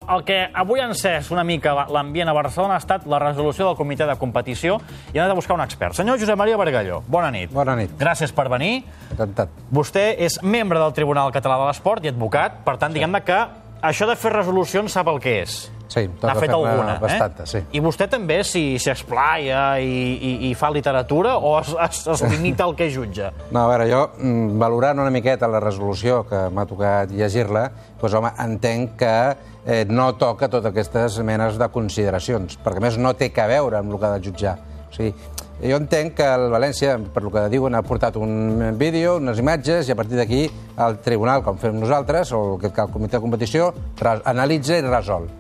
el que avui ha encès una mica l'ambient a Barcelona ha estat la resolució del comitè de competició i hem anat a buscar un expert. Senyor Josep Maria Bargalló, bona nit. Bona nit. Gràcies per venir. Encantat. Vostè és membre del Tribunal Català de l'Esport i advocat, per tant, diguem-ne que això de fer resolucions sap el que és. Sí, toca fer-ne bastanta, sí. I vostè també s'hi explaia i fa literatura o es limita al que jutja? No, a veure, jo, valorant una miqueta la resolució que m'ha tocat llegir-la, doncs, home, entenc que no toca totes aquestes menes de consideracions, perquè, a més, no té a veure amb el que ha de jutjar. O sigui, jo entenc que el València, per el que diuen, ha portat un vídeo, unes imatges, i a partir d'aquí el tribunal, com fem nosaltres, o el comitè de competició, analitza i resol.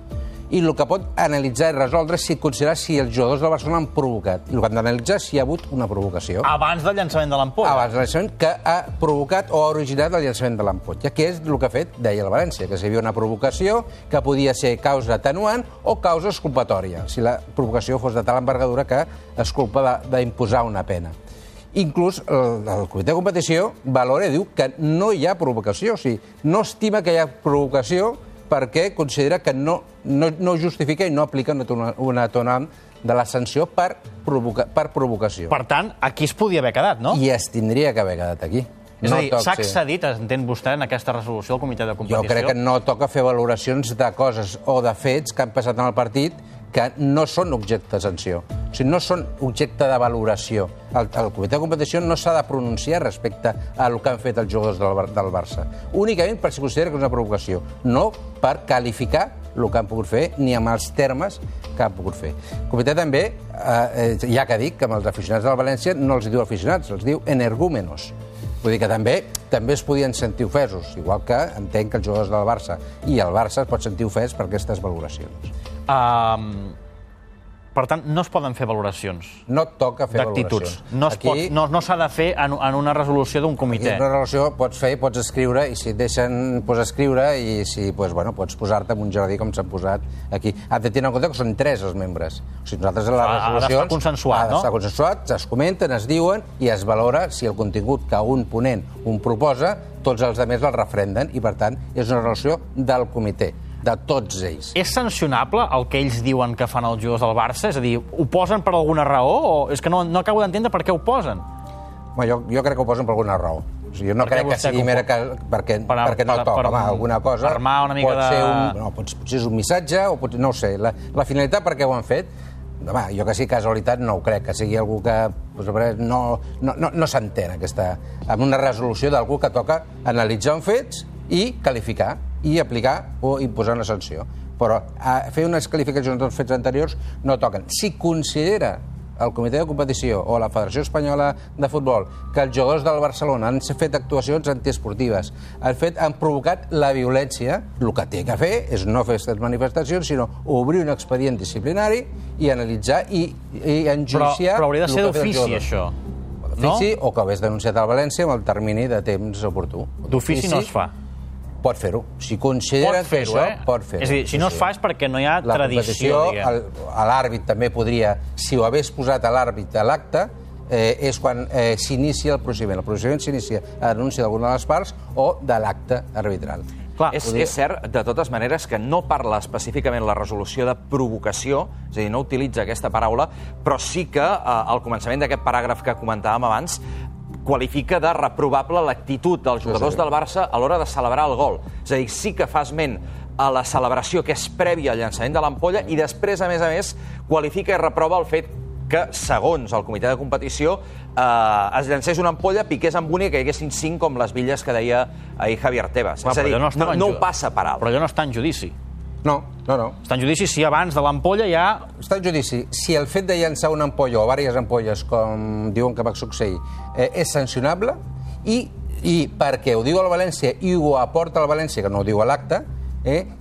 I el que pot analitzar i resoldre és si considerar si els jugadors del Barcelona han provocat. I el que han d'analitzar és si hi ha hagut una provocació. Abans del llançament de l'ampolla. Abans del llançament que ha provocat o ha originat el llançament de l'ampolla, que és el que ha fet, deia el València, que si hi havia una provocació que podia ser causa atenuant o causa exculpatòria, si la provocació fos de tal envergadura que es culpa d'imposar una pena. Inclús el comitè de competició valora i diu que no hi ha provocació, o sigui, no estima que hi ha provocació perquè considera que no justifica i no aplica una atenuant de la sanció per provocació. Per tant, aquí es podia haver quedat, no? I es tindria que haver quedat aquí. És a dir, s'ha accedit, entén vostè, en aquesta resolució del comitè de competició? Jo crec que no toca fer valoracions de coses o de fets que han passat en el partit que no són objecte de sanció. O sigui, no són objecte de valoració. El comitè de competició no s'ha de pronunciar respecte al que han fet els jugadors del Barça. Únicament per si considera que és una provocació, no per qualificar el que han pogut fer ni amb els termes que han pogut fer. El comitè també, ja que dic que amb els aficionats del València no els diu aficionats, els diu energúmenos. Vull dir que també es podien sentir ofesos, igual que entenc que els jugadors del Barça i el Barça es pot sentir ofès per aquestes valoracions. Per tant, no es poden fer valoracions. No toca fer valoracions. No s'ha de fer en una resolució d'un comitè. Aquí una resolució pots fer, pots escriure, i si et deixen, pots escriure, i si, pots posar-te en un jardí com s'han posat aquí. Ha de tenir en compte que són 3 els membres. O sigui, nosaltres a les resolucions... Ha d'estar consensuat, no? Ha d'estar consensuat, es comenten, es diuen, i es valora si el contingut que un ponent proposa, tots els altres el refrenden, i per tant és una resolució del comitè, de tots ells. És sancionable el que ells diuen que fan els jugadors del Barça? És a dir, ho posen per alguna raó? O és que no acabo d'entendre per què ho posen. Jo crec que ho posen per alguna raó. O sigui, jo no crec que sigui perquè no toca. Alguna cosa... Per armar una mica de... Potser és un missatge, o no ho sé. La finalitat per què ho han fet, jo que sigui casualitat no ho crec, que sigui algú que no s'entén amb una resolució d'algú que toca analitzar uns fets i qualificar i aplicar o imposar una sanció. Però fer unes qualificacions dels fets anteriors no toquen. Si considera el comitè de competició o la Federació Espanyola de Futbol que els jugadors del Barcelona han fet actuacions antiesportives, han provocat la violència, el que té que fer és no fer aquestes manifestacions, sinó obrir un expedient disciplinari i analitzar i enjuiciar... Però hauria de ser d'ofici, això. D'ofici, o que ho hagués denunciat al València amb el termini de temps oportú. D'ofici no es fa. Pot fer-ho. Si considera que això, pot fer-ho. És a dir, si no es fa és perquè no hi ha tradició, diguem. L'àrbit també podria, si ho hagués posat a l'àrbit a l'acte, és quan s'inicia el procediment. El procediment s'inicia a denúncia d'alguna de les parts o de l'acte arbitral. És cert, de totes maneres, que no parla específicament la resolució de provocació, és a dir, no utilitza aquesta paraula, però sí que al començament d'aquest paràgraf que comentàvem abans qualifica de reprovable l'actitud dels jugadors del Barça a l'hora de celebrar el gol. És a dir, sí que fa esment a la celebració que és prèvia al llançament de l'ampolla i després, a més, qualifica i reprova el fet que, segons el comitè de competició, es llancés una ampolla, piqués amb una i que hi haguessin 5 com les bitlles que deia ahir Javier Tebas. És a dir, no ho passa per alt. Però allò no està en judici. No. Està en judici si abans de l'ampolla ja... Està en judici. Si el fet de llançar una ampolla o diverses ampolles, com diuen que va succeir, és sancionable, i perquè ho diu el València i ho aporta el València, que no ho diu a l'acte,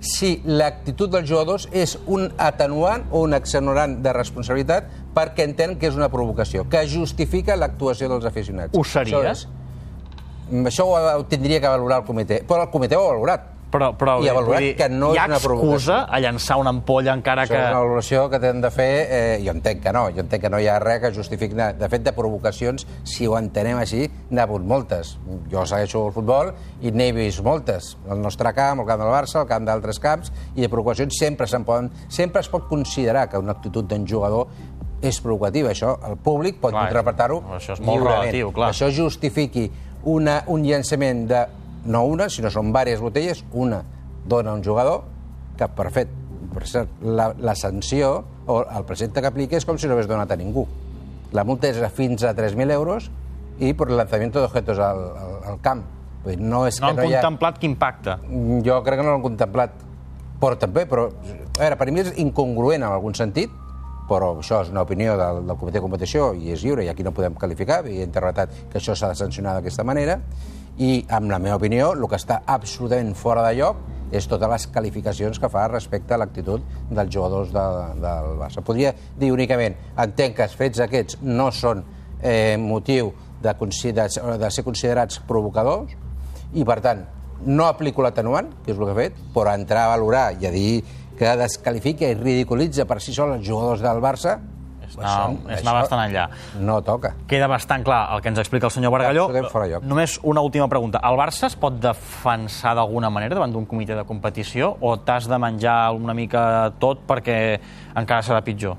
si l'actitud dels jugadors és un atenuant o un exonerant de responsabilitat perquè entenen que és una provocació, que justifica l'actuació dels aficionats. Ho seria? Això ho tindria que valorar el comitè, però el comitè ho ha valorat. Però i ha valorat que no hi ha és una provocació. excusa a llançar una ampolla encara Això que... és una valoració que tenen de fer, jo entenc que no hi ha res que justifiqui. De fet, de provocacions, si ho entenem així, n'ha hagut moltes. Jo segueixo el futbol i n'he vist moltes. El nostre camp, el camp del Barça, el camp d'altres camps, i de provocacions sempre es pot considerar que una actitud d'un jugador és provocativa. Això el públic pot interpretar-ho això és molt lliurement. relatiu, clar. Això justifiqui un llançament de no una, sinó són diverses botelles, una dona a un jugador, que per cert, la sanció o el precepte que aplica és com si no hagués donat a ningú. La multa és fins a 3.000 euros i per lanzamiento d'objetos al camp. No han contemplat quin impacte. Jo crec que no l'han contemplat. Però a veure, per mi és incongruent en algun sentit, però això és una opinió del comitè de competició i és lliure i aquí no podem qualificar, i he interpretat que això s'ha de sancionar d'aquesta manera, i, amb la meva opinió, el que està absolutament fora de lloc és totes les qualificacions que fa respecte a l'actitud dels jugadors del Barça. Podria dir únicament, entenc que els fets aquests no són motiu de ser considerats provocadors i, per tant, no aplico l'atenuant, que és el que he fet, però entrar a valorar i a dir que desqualifica i ridiculitza per si sol els jugadors del Barça, és anar bastant enllà. No toca. Queda bastant clar el que ens explica el senyor Bargalló. Només una última pregunta. El Barça es pot defensar d'alguna manera davant d'un comitè de competició o t'has de menjar una mica tot perquè encara serà pitjor?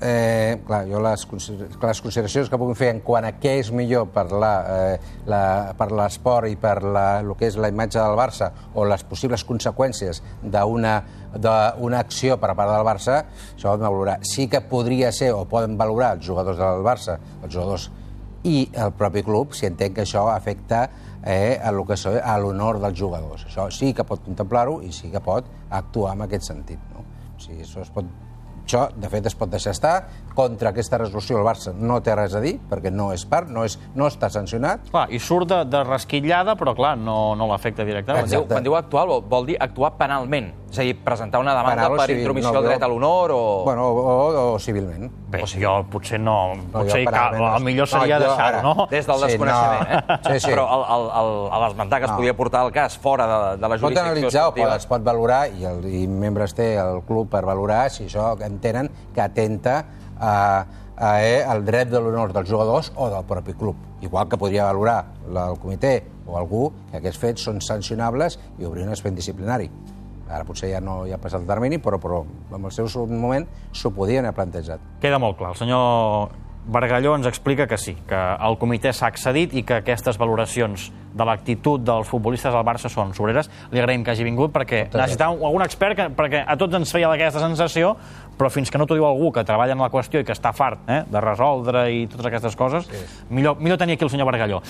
Clar, jo les consideracions que puc fer en quant a què és millor per l'esport i per el que és la imatge del Barça o les possibles conseqüències d'una acció per a part del Barça, això ho hem de valorar. Sí que podria ser, o poden valorar els jugadors del Barça, els jugadors i el propi club, si entenc que això afecta a l'honor dels jugadors. Això sí que pot contemplar-ho i sí que pot actuar en aquest sentit. Això, de fet, es pot deixar estar. Contra aquesta resolució el Barça no té res a dir, perquè no és part, no està sancionat. Clar, i surt de rasquillada, però clar, no l'afecta directament. Quan diu actuar, vol dir actuar penalment. És a dir, presentar una demanda per intromissió al dret a l'honor o... Bueno, o civilment. Bé, jo potser no. Potser el millor seria deixar-ho, no? Des del desconeixement, Però a l'esmentar que es podia portar el cas fora de la jurisdicció esportiva... Es pot valorar, i membres té el club per valorar si això entenen que atenta al dret de l'honor dels jugadors o del propi club. Igual que podria valorar el comitè o algú que aquests fets són sancionables i obrir un expedient disciplinari. Ara potser ja no hi ha passat el termini, però en el seu moment s'ho podien haver plantejat. Queda molt clar. El senyor Bargalló ens explica que sí, que el comitè s'ha accedit i que aquestes valoracions de l'actitud dels futbolistes del Barça són sobreres. Li agraïm que hagi vingut perquè necessitàvem algun expert perquè a tots ens feia aquesta sensació, però fins que no t'ho diu algú que treballa en la qüestió i que està fart de resoldre i totes aquestes coses, millor tenir aquí el senyor Bargalló.